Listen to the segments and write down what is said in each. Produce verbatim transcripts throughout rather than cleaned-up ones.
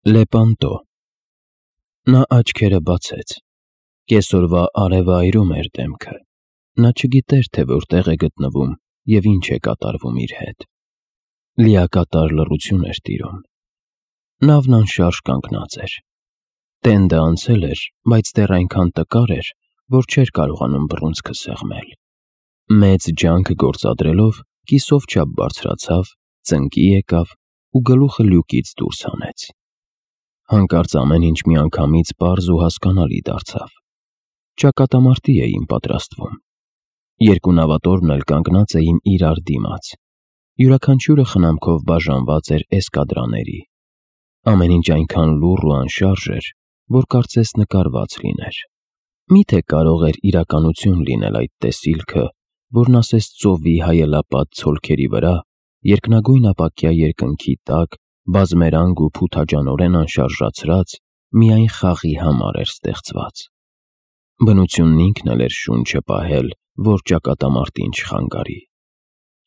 Լեպանտո։ Նա աչքերը բացեց։ Կեսօրվա արևը այրում էր դեմքը։ Նա չգիտեր, թե որտեղ է գտնվում և ինչ է կատարվում իր հետ։ Լիակատար լռություն էր տիրում։ Նավն անշարժ կանգնած էր։ Տենդը անցել էր, բայց դեռ այնքան տկար էր, որ չէր կարողանում բռունցքը սեղմել։ Մեծ ջանք գործադրելով կիսով չափ բարձրացավ, ծնկի եկավ ու գլուխը լյուկից դուրս հանեց։ Հանկարծ ամեն ինչ միանգամից պարզ ու հասկանալի դարձավ։ Ճակատամարտի էին պատրաստվում։ Երկու նավատորմն էլ կանգնած էին իրար դիմաց։ Յուրաքանչյուրը խնամքով բաժանված էր էսկադրաների։ Ամեն ինչ այնքան լուռ ու անշարժ էր, որ կարծես նկարված լիներ։ Մի՞թե կարող էր իրականություն լինել այդ տեսիլքը, որն ասես ծովի հայելապատ ցոլքերի վրա, երկնագույն ապակյա երկնքի տակ, բազմերանգ ու փութաջանորեն անշարժացրած, միայն խաղի համար էր ստեղծված։ Բնությունն ինքն էլ էր շունչը պահել, որ ճակատամարտին չխանգարի։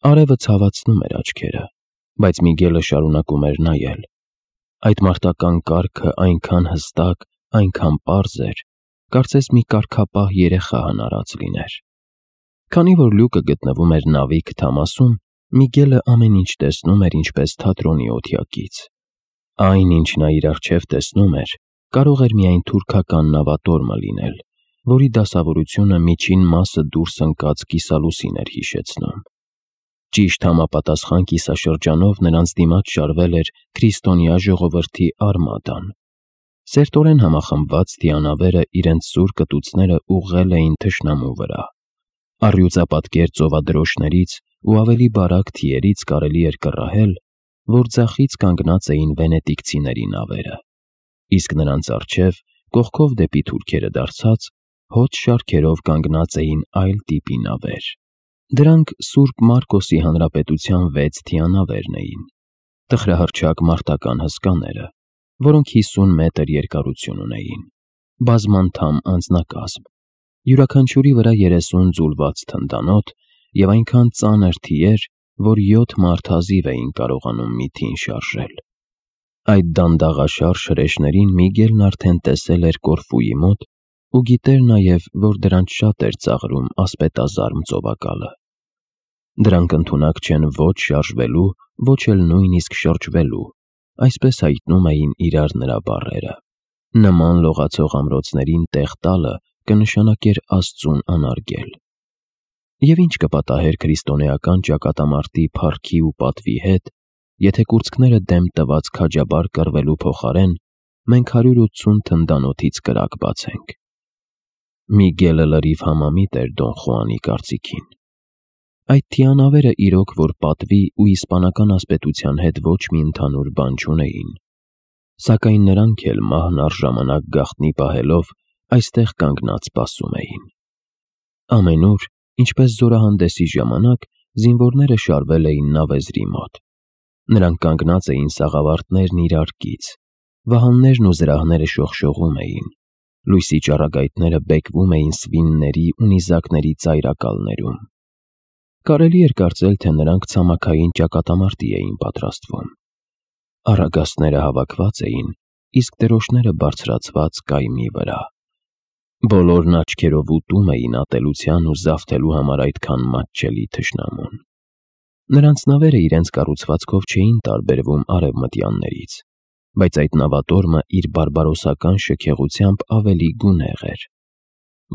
Արևը ցավացնում էր աչքերը, բայց Միգելը շարունակում էր նայել։ Այդ մարտական կարգը այնքան հստակ, այնքան պարզ էր, կարծես մի կարգապահ երեխա հնարած լիներ։ Քանի որ լյուկը գտնվում էր նավի քթամասում, Միգելը ամեն ինչ տեսնում էր ինչպես թատրոնի օթյակից։ Այն, ինչ նա իր առջև տեսնում էր, կարող էր միայն թուրքական նավատորմը լինել, որի դասավորությունը միջին մասը դուրս ընկած կիսալուսին էր հիշեցնում։ Ճիշտ համապատասխան կիսաշրջանով նրանց դիմաց շարվել էր քրիստոնյա ժողովրդի արմադան։ Սերտորեն համախմբված թիանավերը իրենց սուր կտուցները ուղղել էին թշնամու վրա։ Առյուծապատկեր ծովադրոշներից ու ավելի բարակ թիերից կարելի էր կռահել, որ ձախից կանգնած էին վենետիկցիների նավերը, իսկ նրանց առջև, կողքով դեպի թուրքերը դարձած, հոծ շարքերով կանգնած էին այլ տիպի նավեր։ Դրանք Սուրբ Մարկոսի հանրապետության վեց թիանավերն էին, տխրահռչակ մարտական հսկաները, որոնք հիսուն մետր երկարություն ունեին, բազմանդամ անձնակազմ, յուրաքանչյուրի վրա երեսուն ձուլված թնդանոթ և այնքան ծանր թիեր, որ յոթ մարդազիվ էին կարողանում մի թին շարժել։ Այդ դանդաղաշարժ հրեշներին Միգելն արդեն տեսել էր Կորֆուի մոտ ու գիտեր նաև, որ դրանց շատ էր ծաղրում ասպետազարմ ծովակալը։ Դրանք ընդունակ չեն ոչ շարժվելու, ոչ էլ նույնիսկ շրջվելու, այսպես հայտնում էին իրար նրա բառերը։ Նման լողացող ամրոցներին տեղ տալը կնշանակեր Աստծուն անարգել։ Եվ ինչ կպատահեր քրիստոնեական ճակատամարտի փառքի ու պատվի հետ, եթե կուրծքները դեմ տված քաջաբար կռվելու փոխարեն մենք հարյուր ութսուն թնդանոթից կրակ բացենք։ Միգելը լրիվ համամիտ էր Դոն Խուանի կարծիքին։ Այդ թիանավերը իրոք որ պատվի ու իսպանական ասպետության հետ ոչ մի ընդհանուր բան չունեին, սակայն նրանք էլ մահն առժամանակ գաղտնի պահելով այստեղ կանգնած սպասում էին։ Ամենուր, ինչպես զորահանդեսի ժամանակ, զինվորները շարվել էին նավեզրի մոտ։ Նրանք կանգնած էին սաղավարտներն իրար կից, վահաններն ու զրահները շողշողում էին, լույսի ճառագայթները բեկվում էին սվինների ու նիզակների ծայրակալներում։ Կարելի էր կարծել, թե նրանք ցամաքային ճակատամարտի էին պատրաստվում։ Առագաստները հավաքված էին, իսկ դրոշները բարձրացված կայմի վրա։ Բոլորն աչքերով ուտում էին ատելության ու զավթելու համար այդքան մատչելի թշնամուն։ Նրանց նավերը իրենց կառուցվածքով չէին տարբերվում արևմտյաններից, բայց այդ նավատորմը իր բարբարոսական շքեղությամբ ավելի գունեղ էր։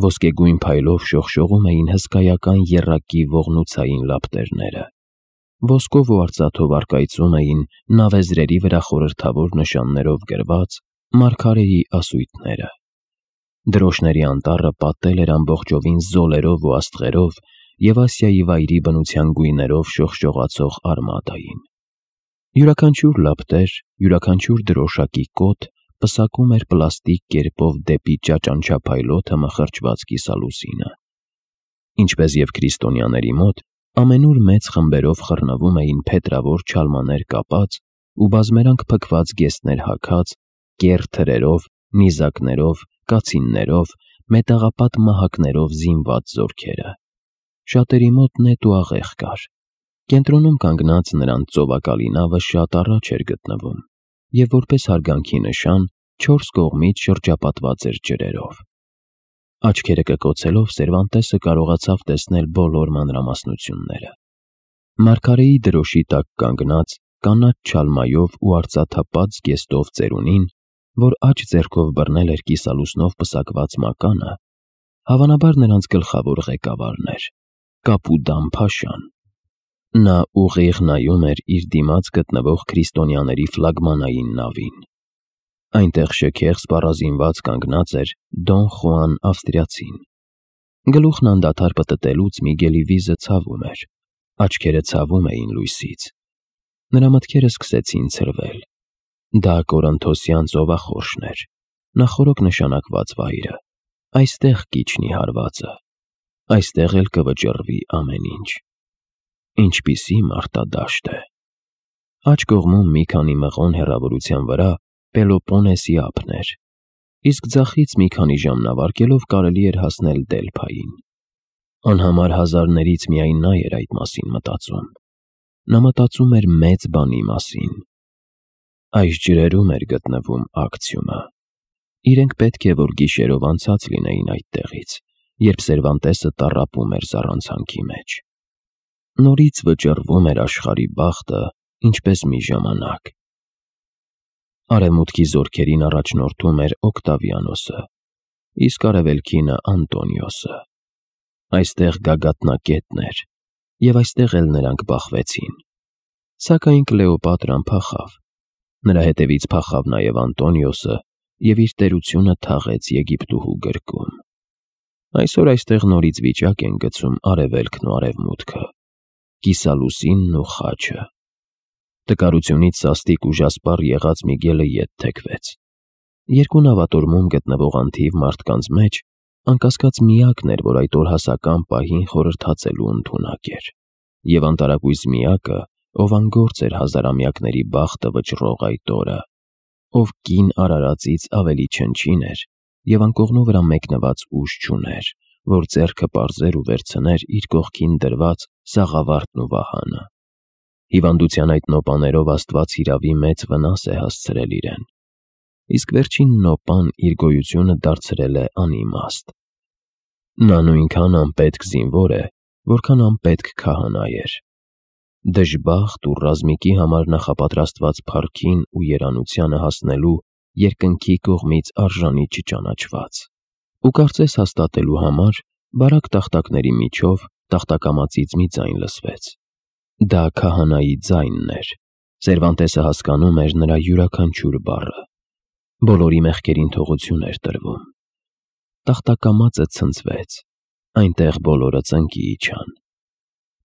Ոսկեգույն փայլով շողշողում էին հսկայական եռակի ողնուցային լապտերները։ Ոսկով ու արծաթով առկայծում էին նավեզրերի վրա խորհրդավոր նշաններով գրված մարգարեի ասույթները։ Դրոշների անտառը պատել էր ամբողջովին զոլերով ու աստղերով և Ասիայի վայրի բնության գույներով շողշողացող արմադային։ Յուրաքանչյուր լապտեր, յուրաքանչյուր դրոշակի կոթ պսակում էր պլաստիկ կերպով դեպի ճաճանչափայլոթը մխրճված կիսալուսինը։ Ինչպես և քրիստոնյաների մոտ, ամենուր մեծ խմբերով խռնվում էին փետրավոր չալմաներ կապած ու բազմերանգ փքված գեստներ հագած, կեռ թրերով, նիզակներով, կացիններով, մետաղապատ մահակներով զինված զորքերը։ Շատերի մոտ նետ ու աղեղ կար։ Կենտրոնում կանգնած նրանց ծովակալի նավը շատ առաջ էր գտնվում։ և որպես հարգանքի նշան չորս կողմից շրջապատված էր ջրերով։ Աչքերը կկոցելով Սերվանտեսը կարողացավ տեսնել բոլոր մանրամասնությունները։ Մարգարեի դրոշի տակ կանգնած կանաչ չալմայով ու արծաթապատ զգեստով ծերունին, որ աջ ձեռքով բռնել էր կիսալուսնով պսակված մականը, հավանաբար նրանց գլխավոր ղեկավարն էր՝ Կապուդան փաշան։ Նա ուղիղ նայում էր իր դիմաց գտնվող քրիստոնյաների ֆլագմանային նավին։ Այնտեղ շքեղ սպառազինված կանգնած էր Դոն Խուան ավստրիացին։ Գլուխն անդադար պտտելուց Միգելի վիզը ցավում էր, աչքերը ցավում էին լույսից։ Նրա մտքերը սկսեցին ցրվել։ Դա կորինթոսյան ծովախորշն էր, նախօրոք նշանակված վայրը։ Այստեղ կիջնի հարվածը, այստեղ էլ կվճռվի ամեն ինչ։ Ինչպիսի մարտադաշտ է։ Աջ կողմում մի քանի մղոն հեռավորության վրա Պելոպոնեսի ափն էր, իսկ ձախից մի քանի ժամնավարկելով կարելի էր հասնել Դելփային։ Անհամար հազարներից միայն նա էր այդ մասին մտածում։ Նա մտածում էր մեծ բանի մասին։ Այս ջրերում էր գտնվում Ակցիումը։ Իրենք պետք է որ գիշերով անցած լինեին այդտեղից, երբ Սերվանտեսը տառապում էր զառանցանքի մեջ։ Նորից վճռվում էր աշխարհի բախտը, ինչպես մի ժամանակ։ Արևմուտքի զորքերին առաջնորդում էր Օկտավիանոսը, իսկ արևելքինը Անտոնիոսը։ Այստեղ գագաթնակետն էր, և այստեղ էլ նրանք բախվեցին։ Սակայն Կլեոպատրան փախավ։ Նրա հետևից փախավ նաև Անտոնիոսը և իր տերությունը թաղեց Եգիպտուհու գրկում։ Այսօր այստեղ նորից վիճակ են գցում արևելքն ու արևմուտքը, կիսալուսինն ու խաչը։ Տկարությունից սաստիկ ուժասպառ եղած Միգելը ետ թեքվեց։ Երկու նավատորմում գտնվող անթիվ մարդկանց մեջ անկասկած միակն էր, որ այդ օրհասական պահին խորհրդածելու ընդունակ էր, և անտարակույս միակը, ով անգործ էր հազարամյակների բախտը վճռող այդ օրը, ով կին արարածից ավելի չնչին էր և անկողնու վրա մեկնված ուժ չուներ, որ ձեռքը պարզեր ու վերցներ իր կողքին դրված սաղավարտն ու վահանը։ Հիվանդության այդ նոպաներով Աստված հիրավի մեծ վնաս է հասցրել իրեն, իսկ վերջին նոպան իր գոյությունը դարձրել է անիմաստ։ Նա նույնքան անպետք զինվոր է, որքան անպետք քահանա էր։ Դժբախտ ու ռազմիկի համար նախապատրաստված փառքին ու երանությանը հասնելու երկնքի կողմից արժանի չճանաչված։ Ու կարծես հաստատելու համար բարակ տախտակների միջով տախտակամածից մի ձայն լսվեց։ Դա քահանայի ձայնն էր։ Սերվանտեսը հասկանում էր նրա յուրաքանչյուր բառը։ Բոլորի մեղքերին թողություն էր տրվում։ Տախտակամածը ցնցվեց, այնտեղ բոլորը ծնկի իջան։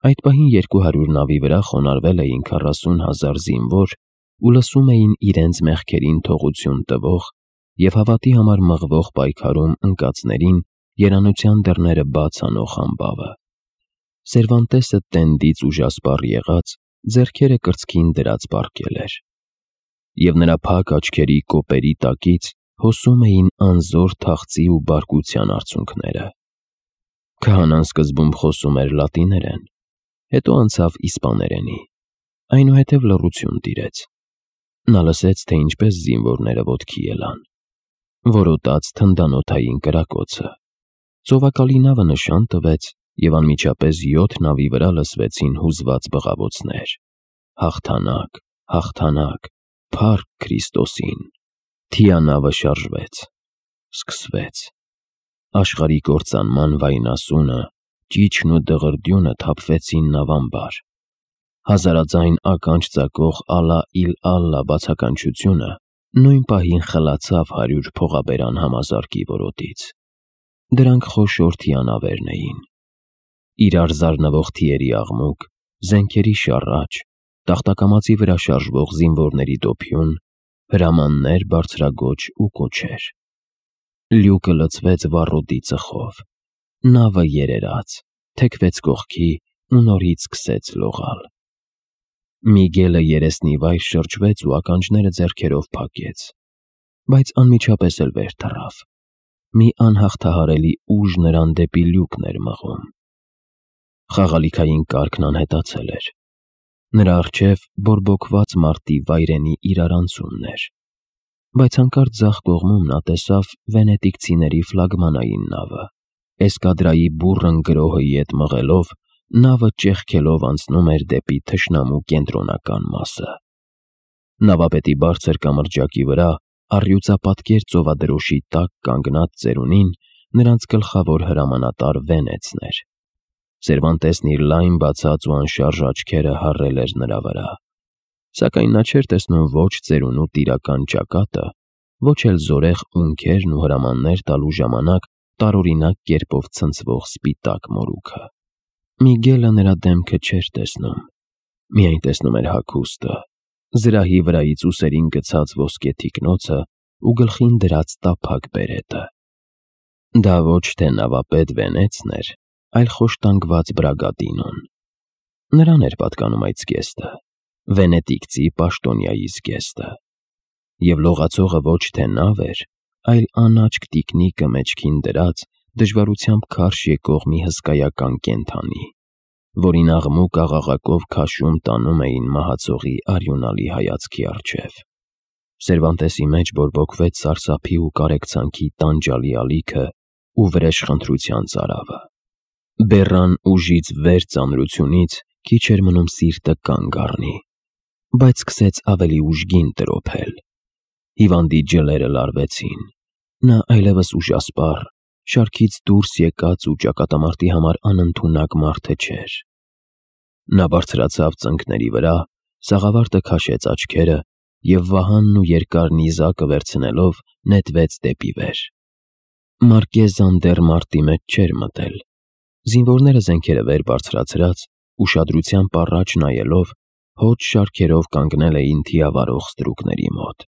Այդ պահին երկու հարյուր նավի վրա խոնարհվել էին քառասուն հազար զինվոր ու լսում էին իրենց մեղքերին թողություն տվող և հավատի համար մղվող պայքարում ընկածներին երանության դռները բաց անող ամբավը։ Սերվանտեսը տենդից ուժասպառ եղած, ձեռքերը կրծքին դրած պառկել էր, և նրա փակ աչքերի կոպերի տակից հոսում էին անզոր թախծի ու բարկության արցունքները։ Քահանան սկզբում խոսում էր լատիներեն, հետո անցավ իսպաներենի, այնուհետև լռություն տիրեց։ Նա լսեց, թե ինչպես զինվորները ոտքի ելան։ Որոտաց թնդանոթային կրակոցը։ Ծովակալի նավը նշան տվեց, և անմիջապես յոթ նավի վրա լսվեցին հուզված բղավոցներ. «Հաղթանակ, հաղթանակ, փառք Քրիստոսին»։ Թիանավը շարժվեց։ Սկսվեց։ Աշխարհի կործանման վայնասունը, ճիչն ու դղրդյունը թափվեցին նավամբար։ Հազարաձայն ականջ ծակող «Ալլա իլ Ալլա» բացականչությունը նույն պահին խլացավ հարյուր փողաբերան համազարկի որոտից։ Դրանք խոշոր թիանավերն էին։ Իրար զարնվող թիերի աղմուկ, զենքերի շառաչ, տախտակամածի վրա շարժվող զինվորների դոփյուն, հրամաններ բարձրաձոչ ու կոչեր։ Լյուկը լցվեց վառոդի ծխով։ Նավը երերաց, թեքվեց կողքի ու նորից սկսեց լողալ։ Միգելը երեսնի վայր շրջվեց ու ականջները ձեռքերով փակեց, բայց անմիջապես էլ վեր թռավ։ Մի անհաղթահարելի ուժ նրան դեպի լյուկն էր մղում։ Խաղալիքային կարգն անհետացել էր։ Նրա առջև բորբոքված մարտի վայրենի իրարանցումն էր, բայց հանկարծ ձախ կողմում նա տեսավ վենետիկցիների ֆլագմանային նավը, էսկադրայի բուռն գրոհի հետ մղելով, նավը ճեղքելով անցնում էր դեպի թշնամու կենտրոնական մասը։ Նավապետի բարձր կամրջակի վրա, առյուծապատկեր ծովադրոշի տակ կանգնած ծերունին, նրանց գլխավոր հրամանատար Վենեցն էր։ Սերվանտեսն իր լայն բացած ու անշարժ աչքերը հառել էր նրա վրա, սակայն նա չէր տեսնում ոչ ծերունու տիրական ճակատը, ոչ էլ զորեղ ունքերն ու հրամաններ տալու ժամանակ տարօրինակ կերպով ցնցվող սպիտակ մորուքը։ Միգելը նրա դեմքը չէր տեսնում, միայն տեսնում էր հագուստը, զրահի վրայից ուսերին գցած ոսկե թիկնոցը ու գլխին դրած տափակ բերետը։ Դա ոչ թե նավապետ Վենեցն էր, այլ խոշտանգված Բրագատինոն։ Նրան էր պատկանում այդ զգեստը, վենետիկցի պաշտոնյայի զգեստը։ Եվ լողացողը ոչ թե նավ էր, այլ անաչք տիկնիկը մեջքին դրած, դժվարությամբ քարշ եկող մի հսկայական կենդանի, որին աղմուկ աղաղակով քաշում տանում էին մահացողի արյունալի հայացքի առջև։ Սերվանտեսի մեջ բորբոքվեց սարսափի ու կարեկցանքի տանջալի ալիքը ու վրեժխնդրության ծարավը։ Բեռան ուժից վեր ծանրությունից քիչ էր մնում սիրտը կանգ առնի, բայց սկսեց ավելի ուժգին տրոփել։ Հիվանդի ջլերը լարվեցին։ Նա այլևս ուժասպառ, շարքից դուրս եկած ու ճակատամարտի համար անընդունակ մարդը չէր։ Նա բարձրացավ ծնկների վրա, սաղավարտը քաշեց աչքերը և վահանն ու երկար նիզակը վերցնելով նետվեց դեպի վեր։ Մարկեզան դեռ մարտի մեջ չէր մտել։ Զինվորները զենքերը վեր բարձրացրած, ուշադրությամբ առաջ նայելով, հոտ շարքերով կանգնել էին թիավարող ստրուկների մոտ։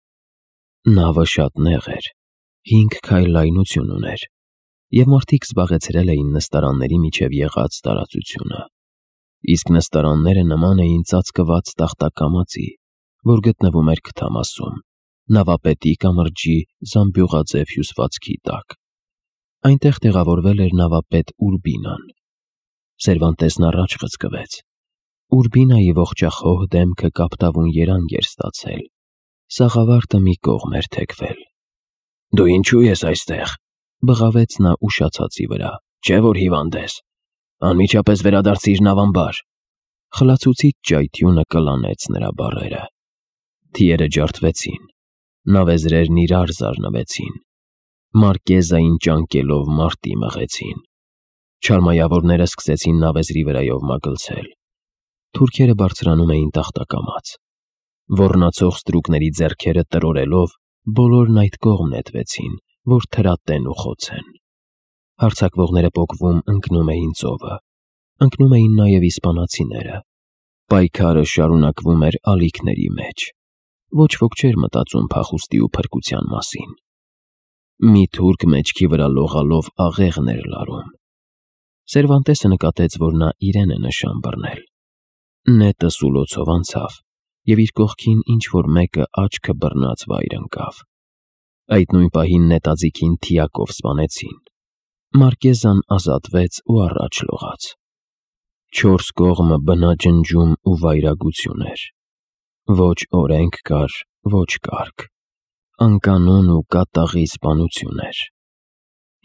Նավը շատ նեղ էր, հինգ քայլ լայնություն ուներ, և մարդիկ զբաղեցրել էին նստարանների միջև եղած տարածությունը, իսկ նստարանները նման էին ծածկված տախտակամածի, որ գտնվում էր քթամասում, նավապետի կամրջի զամբյուղաձև հյուսվածքի տակ։ Այնտեղ տեղավորվել էր նավապետ Ուրբինան։ Սերվանտեսն առաջ խցկվեց։ Ուրբինայի ողջախոհ դեմքը կապտավուն երանգ էր ստացել, սաղավարտը մի կողմ էր թեքվել։ «Դու ինչու ես այստեղ», բղավեց նա ուշացածի վրա, «չէ՞ որ հիվանդ ես։ Անմիջապես վերադարձիր նավամբար»։ Խլացուցիչ ճայթյունը կլանեց նրա բառերը։ Թիերը ջարդվեցին, նավեզրերն իրար զարնվեցին, Մարկեզային ճանկելով մարտի մղեցին։ Չարմայավորները սկսեցին նավեզրի վրայով մագլցել։ Թուրքերը բարձրանում էին տախտակամաց։ Ոռնացող ստրուկների ձեռքերը տրորելով, բոլորն այդ կողմ նետվեցին, որ թրատեն ու խոցեն։ Հարձակվողները պոկվում ընկնում էին ծովը, ընկնում էին նաև իսպանացիները։ Պայքարը շարունակվում էր ալիքների մեջ։ Ոչ ոք չէր մտածում փախուստի ու փրկության մասին։ Մի թուրք մեջքի վրա լողալով աղեղն էր լարում։ Սերվանտեսը նկատեց, որ նա իրեն է նշան բռնել։ Նետը սուլոցով անցավ, և իր կողքին ինչ-որ մեկը աչքը բռնած վայր ընկավ։ Այդ նույն պահին նետաձիգին թիակով սպանեցին։ Մարկեզան ազատվեց ու առաջ լողաց։ Չորս կողմը բնաջնջում ու վայրագություն էր։ Ոչ օրենք կար, ոչ կարգ, անկանոն ու կատաղի սպանություն էր։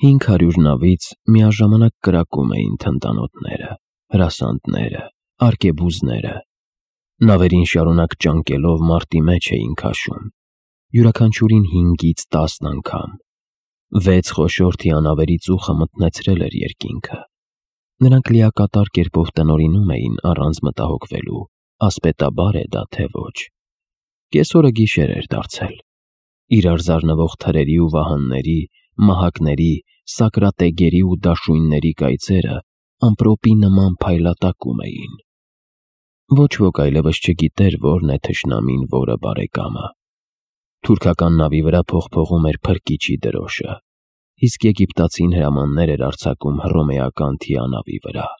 Հինգ հարյուր նավից միաժամանակ կրակում էին թնդանոթները, հրասանդները, արկեբուզները։ Նավերին շարունակ ճանկելով մարտի մեջ էին քաշում, յուրաքանչյուրին հինգից տասն անգամ։ Վեց խոշոր թիանավերի ծուխը մթնեցրել էր երկինքը։ Նրանք լիակատար կերպով տնօրինում էին առանց մտահոգվելու, ասպետաբար է դա թե ոչ։ Կեսօրը գիշեր էր դարձել։ Իրար զարնվող թրերի ու վահանների, մահակների, սակրատեգերի ու դաշույնների կայծերը ամպրոպի նման փայլատակում էին։ Ոչ ոք այլևս չգիտեր որն է թշնամին, որը բարեկամը։ Թուրքական նավի վրա փողփողում էր փրկիչի դրոշը, իսկ եգիպտացին հրամաններ էր արձակում հռոմեական թիանավի վրա։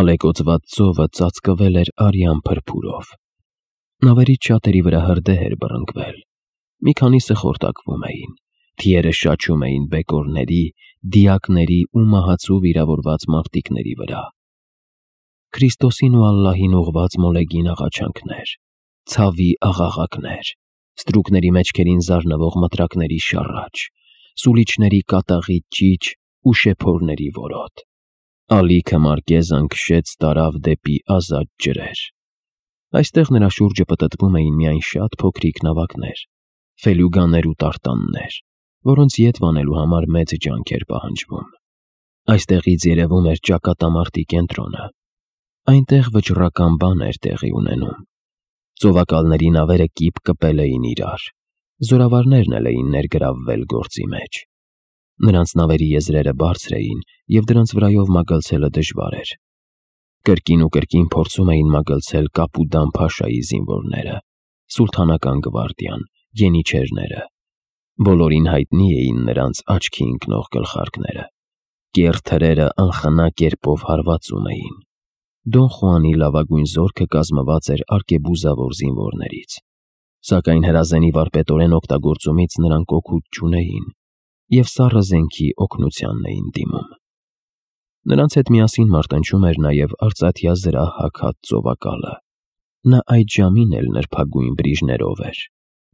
Ալեկոծված ծովը ծածկվել էր արյան փրփուրով։ Նավերից շատերի վրա հրդեհ էր բռնկվել։ Մի քանիսը խորտակվում էին, թիերը շաչում էին բեկորների, դիակների ու մահացու վիրավորված մարտիկների վրա։ Քրիստոսին ու Ալլահին ուղված մոլեգին աղաչանքներ, ցավի աղաղակներ, ստրուկների մեջքերին զարնվող մտրակների շառաչ, սուլիչների կատաղի ճիչ ու շեփորների որոտ։ Ալիքը Մարկեզան քշեց տարավ դեպի ազատ ջրեր։ Այստեղ նրա շուրջը պտտվում էին միայն շատ փոքրիկ նավակներ, ֆելյուգաներ ու տարտաններ, որոնց ետ վանելու համար մեծ ջանք էր պահանջվում։ Այստեղից երևում էր ճակատամարտի կենտրոնը։ Այնտեղ վճռական բան էր տեղի ունենում։ Ծովակալների նավերը կիպ կպել էին իրար, զորավարներն էլ էին ներգրավվել գործի մեջ։ Նրանց նավերի եզրերը բարձր էին, և դրանց վրայով մագլցելը դժվար էր։ Կրկին ու կրկին փորձում էին մագլցել Կապուդան փաշայի զինվորները, սուլթանական գվարդիան, յենիչերները։ Բոլորին հայտնի էին նրանց աչքի ընկնող գլխարկները։ Կեռ թրերը անխնա կերպով հարվածում էին։ Դոն Խուանի լավագույն զորքը կազմված էր արկեբուզավոր զինվորներից, սակայն հրազենի վարպետորեն օգտագործումից նրանք օգուտ չունեին և սառը զենքի օգնությանն էին դիմում։ Նրանց հետ միասին մարտնչում էր նաև արծաթյա զրահ հագած ծովակալը։ Նա այդ ժամին էլ նրբագույն բրիժներով էր,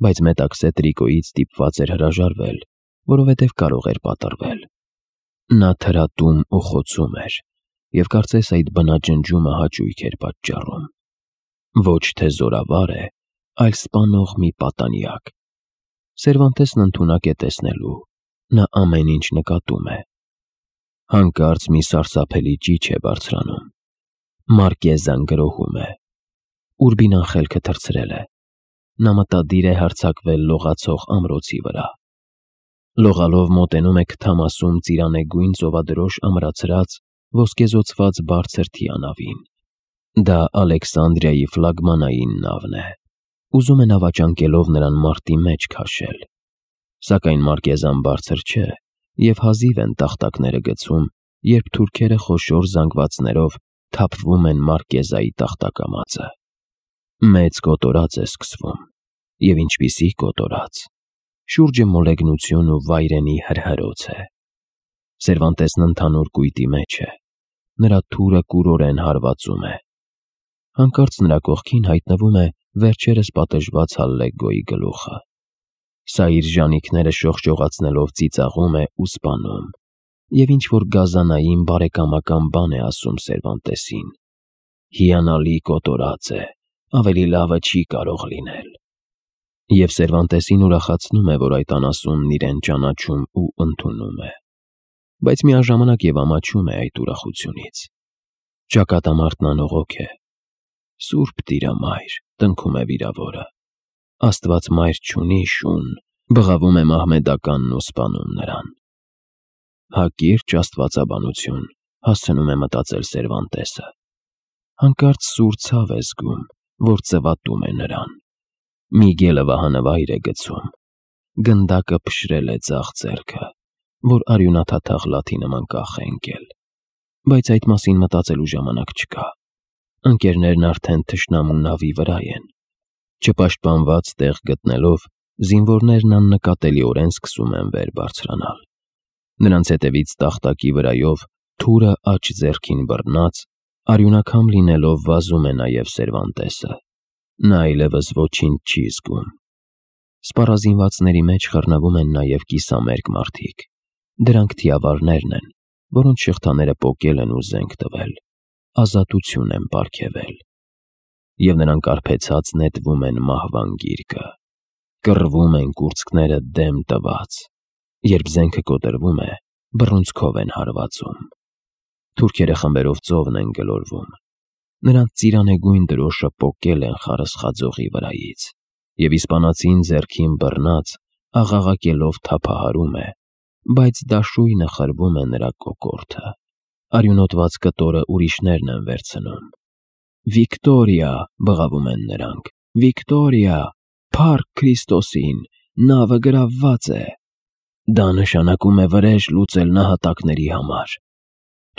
բայց մետաքսե տրիկոյից ստիպված էր հրաժարվել, որովհետև կարող էր պատռվել։ Նա թրատում ու խոցում էր, և կարծես այդ բնաջնջումը հաճույք էր պատճառում։ Ոչ թե զորավար է, այլ սպանող մի պատանյակ։ Սերվանտեսն ընդունակ է տեսնելու, նա ամեն ինչ նկատում է։ Հանկարծ մի սարսափելի ճիչ է բարձրանում։ Մարկեզան գրոհում է։ Ուրբինան խելքը թռցրել է։ Նա մտադիր է հարձակվել լողացող ամրոցի վրա։ Լողալով մոտենում է քթամասում ծիրանեգույն ծովադրոշ ամրացրած, ոսկեզօծված բարձր թիանավին։ Դա Ալեքսանդրիայի ֆլագմանային նավն է։ Ուզում է նավաճանկելով նրան մարտի մեջ քաշել։ Սակայն Մարկեզան բարձր չէ, և հազիվ են տախտակները գցում, երբ թուրքերը խոշոր զանգվածներով թափվում են Մարկեզայի տախտակամածը։ Մեծ կոտորած է սկսվում, և ինչպիսի կոտորած։ Շուրջը մոլեգնություն ու վայրենի հրհրոց է։ Սերվանտեսն ընդհանուր կույտի մեջ է։ Նրա թուրը կուրորեն հարվածում է։ Հանկարծ նրա կողքին հայտնվում է վերջերս պատժված Հալլեգոյի գլուխը։ Սա իր ժանիքները շողշողացնելով ծիծաղում է ու սպանում, և ինչ-որ գազանային բարեկամական բան է ասում Սերվանտեսին։ Հիանալի կոտորած է, ավելի լավը չի կարող լինել։ Եվ Սերվանտեսին ուրախացնում է, որ այդ անասունն իրեն ճանաչում ու ընդունում է, բայց միաժամանակ և ամաչում է այդ ուրախությունից։ Ճակատամարտն անողոք է։ Սուրբ Տիրամայր, տնքում է վիրավորը, Աստված մայր չունի շուն, բղավում է մահմեդականն ու սպանում նրան։ Հակիրճ աստվածաբանություն, հասցնում է մտածել Սերվանտեսը։ Հանկարծ սուր ցավ է զգում, որ ծվատում է նրան։ Միգելը վահանավայր է գցում։ Գնդակը փշրել է ձախ ձեռքը, որ արյունաթաթախ լաթի նման կախ է ընկել։ Բայց այդ մասին մտածելու ժամանակ չկա։ Ընկերներն արդեն թշնամու նավի վրա են։ Չպաշտպանված տեղ գտնելով, զինվորներն աննկատելիորեն սկսում են վեր բարձրանալ։ Նրանց հետևից տախտակի վրայով, թուրը աջ ձեռքին բռնած, արյունակամ լինելով վազում է նաև Սերվանտեսը։ Նա այլևս ոչինչ չի զգում։ Սպառազինվածների մեջ խռնվում են նաև կիսամերկ մարդիկ։ Դրանք թիավարներն են, որոնց շղթաները պոկել են ու զենք տվել, ազատություն են պարգևել։ Եվ նրանք արբեցած նետվում են մահվան գիրկը։ Կռվում են կուրծքները դեմ տված։ Երբ զենքը կոտրվում է, բռունցքով են հարվածում։ Թուրքերը խմբերով ծովն են գլորվում։ Նրանց ծիրանեգույն դրոշը պոկել են խարսխաձողի վրայից, և իսպանացին ձեռքին բռնած, աղաղակելով թափահարում է, բայց դաշույնը խրվում է նրա կոկորդը։ Արյունոտված կտորը ուրիշներն են վերցնում։ «Վիկտորիա», բղավում են նրանք, «Վիկտորիա, փառք Քրիստոսին, նավը գրավված է»։ Դա նշանակում է վրեժ լուծել նահատակների համար։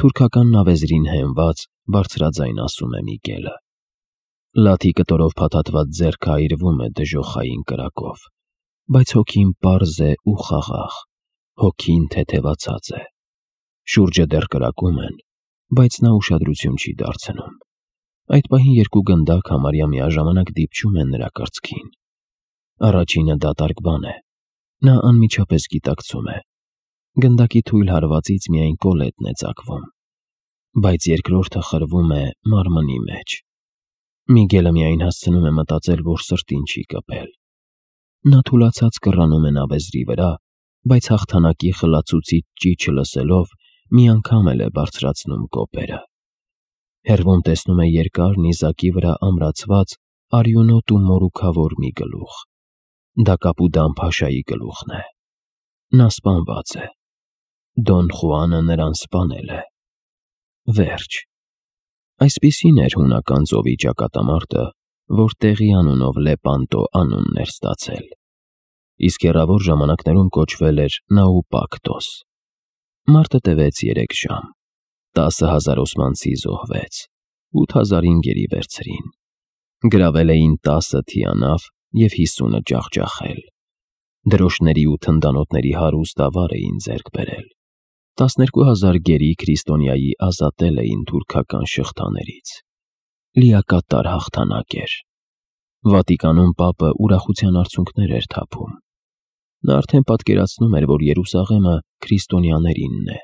Թուրքական նավեզրին հենված, բարձրաձայն ասում է Միգելը։ Լաթի կտորով փաթաթված ձեռքը այրվում է դժոխային կրակով, բայց հոգին պարզ է ու խաղաղ, հոգին թեթևացած է։ Շուրջը դեռ կրակում են, բայց նա ուշադրություն չի դարձնում։ Այդ պահին երկու գնդակ համարյա միաժամանակ դիպչում են նրա կրծքին։ Առաջինը դատարկ բան է, նա անմիջապես գիտակցում է, գնդակի թույլ հարվածից միայն կոլետն է ծակվում, բայց երկրորդը խրվում է մարմնի մեջ։ Միգելը միայն հասցնում է մտածել, որ սրտին չի կպել։ Նա թուլացած կռանում է նավեզրի վրա, բայց հաղթանակի խլացուցիչ ճիչը լսելով մի անգամ էլ է բարձրացնում կոպերը։ Հեռվում տեսնում է երկար նիզակի վրա ամրացված արյունոտ ու մորուքավոր մի գլուխ։ Դա Կապուդան փաշայի գլուխն է։ Նա սպանված է։ Դոն Խուանը նրան սպանել է։ Վերջ։ Այսպիսին էր հունական ծովի ճակատամարտը, որ տեղի անունով Լեպանտո անունն էր ստացել, իսկ հեռավոր ժամանակներում կոչվել էր Նաուպակտոս։ Մարտը տևեց երեք ժամ, տասը հազար օսմանցի զոհվեց, ութ հազարին գերի վերցրին, գրավել էին տասը թիանավ և հիսունը ջախջախել, դրոշների ու թնդանոթների հարուստ ավար էին ձեռք բերել, տասներկու հազար գերի քրիստոնյայի ազատել էին թուրքական շղթաներից։ Լիակատար հաղթանակ էր։ Վատիկանում պապը ուրախության արցունքներ էր թափում։ Նա արդեն պատկերացնում էր, որ Երուսաղեմը քրիստոնյաներինն է։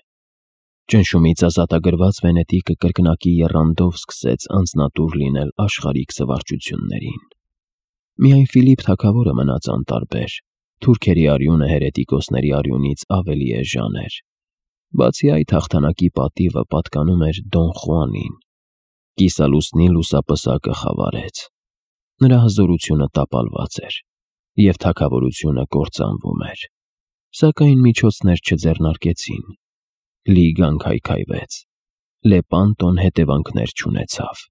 Ճնշումից ազատագրված Վենետիկը կրկնակի եռանդով սկսեց անձնատուր լինել աշխարհիկ զվարճություններին։ Միայն Ֆիլիպ թագավորը մնաց անտարբեր, թուրքերի արյունը հերետիկոսների արյունից ավելի էժան էր։ Բացի այդ, հաղթանակի պատիվը պատկանում էր Դոն Խուանին։ Կիսալուսնի լուսապսակը խավարեց։ Նրա հզորությունը տապալված էր, և թագավորությունը կործանվում էր։ Սակայն միջոցներ չձեռնարկեցին։ Լիգան քայքայվեց։ Լեպանտոն հետևանքներ չունեցավ։